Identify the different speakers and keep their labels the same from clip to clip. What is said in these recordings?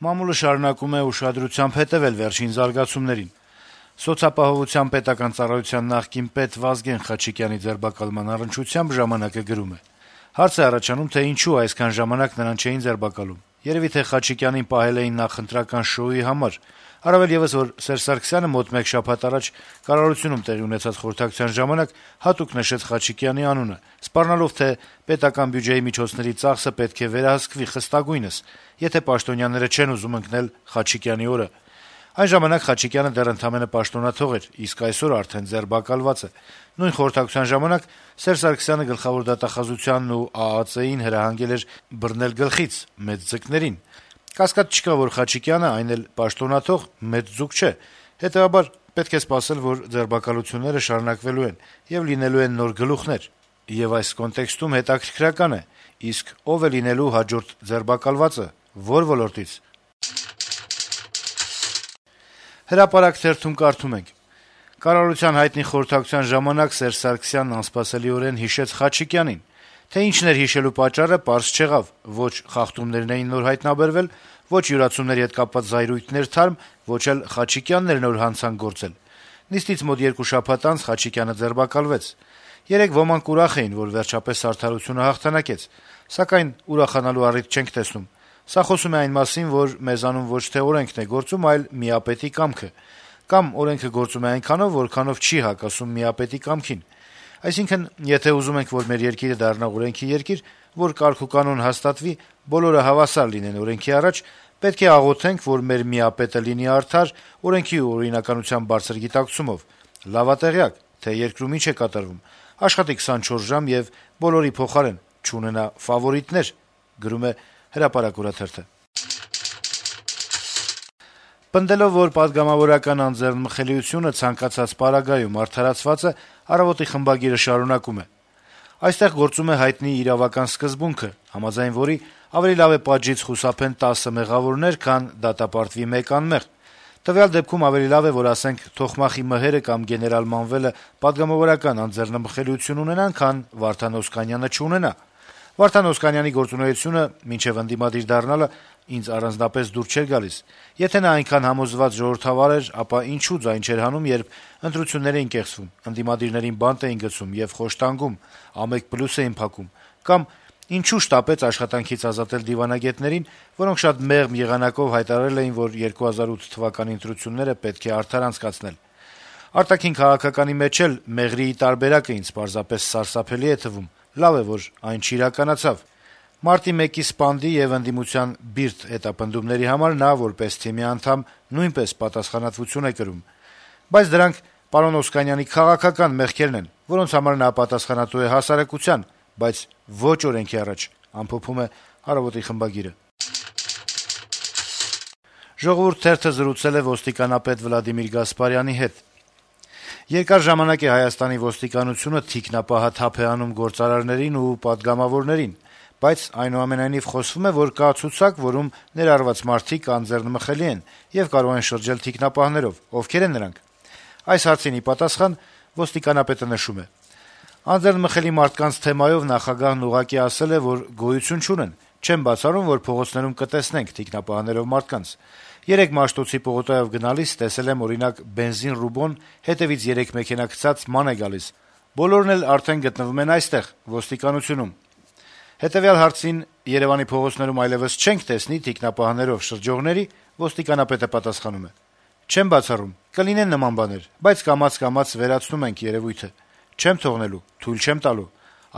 Speaker 1: Մամուլը շարունակում է ուշադրությամբ հետեւել վերջին զարգացումներին։ Սոցիալապահովության պետական ծառայության նախկին պետ Վազգեն Խաչիկյանի ձերբակալման առնչությամբ «Ժամանակ»-ը գրում է. - «Հարց է առաջանում, թե ինչու այսքան ժամանակ նրան չէին ձերբակալում։ Երեւի թե Խաչիկյանին պահել էին նախընտրական շոուի համար։ Առավել եւս, որ Սերժ Սարգսյանը մոտ մեկ շաբաթ առաջ կառավարությունում տեղի ունեցած խորհրդակցության ժամանակ հատուկ նշեց Խաչիկյանի անունը, սպառնալով, թե պետական բյուջեի միջոցների ծախսը պետք է վերահսկվի խստագույնս, եթե պաշտոնյաները չեն ուզում ընկնել Խաչիկյանի օրը։ Այն ժամանակ Խաչիկյանը դեռ ընդամենը պաշտոնաթող էր, իսկ այսօր արդեն ձերբակալված է։ Նույն խորհրդակցության ժամանակ Սերժ Սարգսյանը գլխավոր դատախազությանն ու ԱԱԾ-ին հրահանգել էր բռնել գլխից մեծ ձկներին։ Կասկած չկա, որ Խաչիկյանը, այն էլ պաշտոնաթող, մեծ ձուկ չէ։ Հետեւաբար պետք է սպասել, որ ձերբակալությունները շարունակվելու են եւ լինելու են նոր գլուխներ։ Եվ այս կոնտեքստում հետաքրքրական է, իսկ ով է լինելու հաջորդ ձերբակալվածը, որ ոլորտից»։ «Հրապարակ» թերթում կարդում ենք. - «Կառավարության հայտնի խորհրդակցության ժամանակ Սերժ Սարգսյանն անսպասելիորեն հիշեց Խաչիկյանին։ Թե ինչն էր հիշելու պատճառը, պարզ չեղավ. ոչ խախտումներն էին նոր հայտնաբերվել, ոչ յուրացումների հետ կապված զայրույթներ թարմ, ոչ էլ Խաչիկյանն էր նոր հանցանք գործել։ Նիստից մոտ 2 շաբաթ անց Խաչիկյանը ձերբակալվեց։ Երեկ ոմանք ուրախ էին, որ վերջապես արդարությունը հաղթանակեց, սակայն ուրախանալու առիթ չենք տեսնում։ Սա խոսում է այն մասին, որ մեզանում ոչ թե օրենքն է գործում, այլ միապետի կամքը։ Կամ օրենքը գործում է այնքանով, որքանով չի հակասում միապետի կամքին։ Այսինքն, եթե ուզում ենք, որ մեր երկիրը դառնա օրենքի երկիր, որ կարգ ու կանոն հաստատվի, բոլորը հավասար լինեն օրենքի առաջ, պետք է աղոթենք, որ մեր միապետը լինի արդար, օրենքի ու օրինականության բարձր գիտակցումով, լավատեղյակ, թե երկրում ինչ է կատարվում, աշխատի 24 ժամ եւ բոլորի փոխարեն, չունենա ֆավորիտներ», գրում է «Հրապարակ» օրաթերթը։ Պնդելով, որ պատգամավորական անձեռնմխելիությունը ցանկացած պարագայում արդարացված է, «Առավոտ»-ի խմբագիրը շարունակում է. - «Այստեղ գործում է հայտնի իրավական սկզբունքը, համաձայն որի ավելի լավ է պատժից խուսափեն 10 մեղավորներ, քան դատապարտվի 1 անմեղ։ Տվյալ դեպքում ավելի լավ է, որ ասենք Թոխմախի Մհերը կամ գեներալ Մանվելը պատգամավորական անձեռնմխելիություն ունենան, քան Վարդան Օսկանյանը չունենա։ Վարդան Օսկանյանի գործունեությունը, մինչեւ ընդդիմադիր դառնալը, ինձ առանձնապես դուր չէր գալիս։ Եթե նա այնքան համոզված ժողովրդավար էր, ապա ինչու ձայն չէր հանում, երբ ընտրություններ էին կեղծվում, ընդդիմադիրներին բանտ էին գցում եւ խոշտանգում, ամեկ պլյուս էին փակում, կամ ինչու շտապեց աշխատանքից ազատել դիվանագետներին, որոնք շատ մեղմ եղանակով հայտարարել էին, որ 2008 թվականի ընտրությունները պետք է արդար անցկացնել։ Արտաքին քաղաքականի մեջ էլ մեղրիի տարբերակը ինձ պարզապես սարսափելի է թվում։ Լավ է, որ այն չիրականացավ։ Մարտի 1-ի սպանդի եւ ընդդիմության բիրտ հետապնդումների համար նա, որպես թիմի անդամ, նույնպես պատասխանատվություն է կրում։ Բայց դրանք պարոն Օսկանյանի քաղաքական մեղքերն են, որոնց համար նա պատասխանատու է հասարակության, բայց ոչ օրենքի առաջ», ամփոփում է «Առավոտ»-ի խմբագիրը։ «Ժողովուրդ» թերթը զրուցել է ոստիկանապետ Վլադիմիր Գասպարյանի հետ։ Երկար ժամանակ է Հայաստանի ոստիկանությունը թիկնապահաթափ է անում գործարարներին ու պատգամավորներին, բայց այնուամենայնիվ խոսվում է, որ կա ցուցակ, որում ներառված մարդիկ անձեռնմխելի են եւ կարող են շրջել թիկնապահներով։ Ովքեր են նրանք։ Այս հարցին ի պատասխան ոստիկանապետը նշում է. - «Անձեռնմխելի մարդկանց թեմայով նախագահն ուղղակի ասել է, որ գոյություն չունեն։ Չեմ բացառում, որ փողոցներում կտեսնենք թիկնապահներով մարդկանց։ Երեկ Մաշտոցի պողոտայով գնալիս տեսել եմ, օրինակ, բենզին ռուբոն հետեւից 3 մեքենա գցած ման է գալիս։ Բոլորն էլ արդեն գտնվում են այստեղ, ոստիկանությունում։ Հետեւյալ հարցին Երեւանի փողոցներում այլեւս չենք տեսնի թիկնապահներով շրջողների, ոստիկանապետը պատասխանում է. «Չեմ բացառում, կլինեն նման բաներ, բայց կամաց-կամաց վերացնում ենք երեւույթը։ Չեմ թողնելու, թույլ չեմ տալու։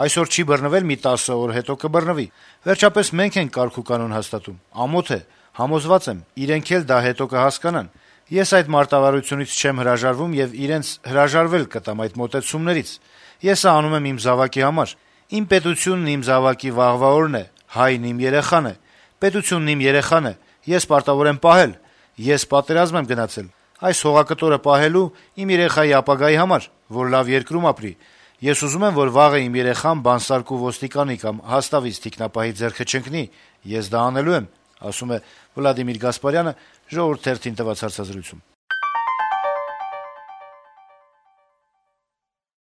Speaker 1: Այսօր չի բռնվել, մի 10 օր հետո կբռնվի։ Վերջապես մենք ենք կարգ ու կանոն հաստատում։ Ամոթ է, համոզված եմ, իրենք էլ դա հետո կհասկանան։ Ես այդ մարտավարությունից չեմ հրաժարվում եւ իրենց հրաժարվել կտամ այդ մոտեցումներից։ Ես սա անում եմ իմ զավակի համար։ Իմ պետությունն իմ զավակի վաղվա օրն է, հայն իմ երեխան է։ Պետությունն իմ երեխան է, ես պարտավոր եմ պահել։ Ես պատերազմ եմ գնացել։ Այս հողակտորը պահելու իմ երեխայի ապագայի համար, որ լավ երկրում ապրի։ Ես ուզում եմ, որ վաղը իմ երեխան բանսարկու ոստիկանի կամ հաստավից թիկնապահի ձեռքը չընկնի։ Ես դա անելու եմ», ասում է Վլադիմիր Գասպարյանը «Ժողովուրդ» թերթին տված հարցազրույցում։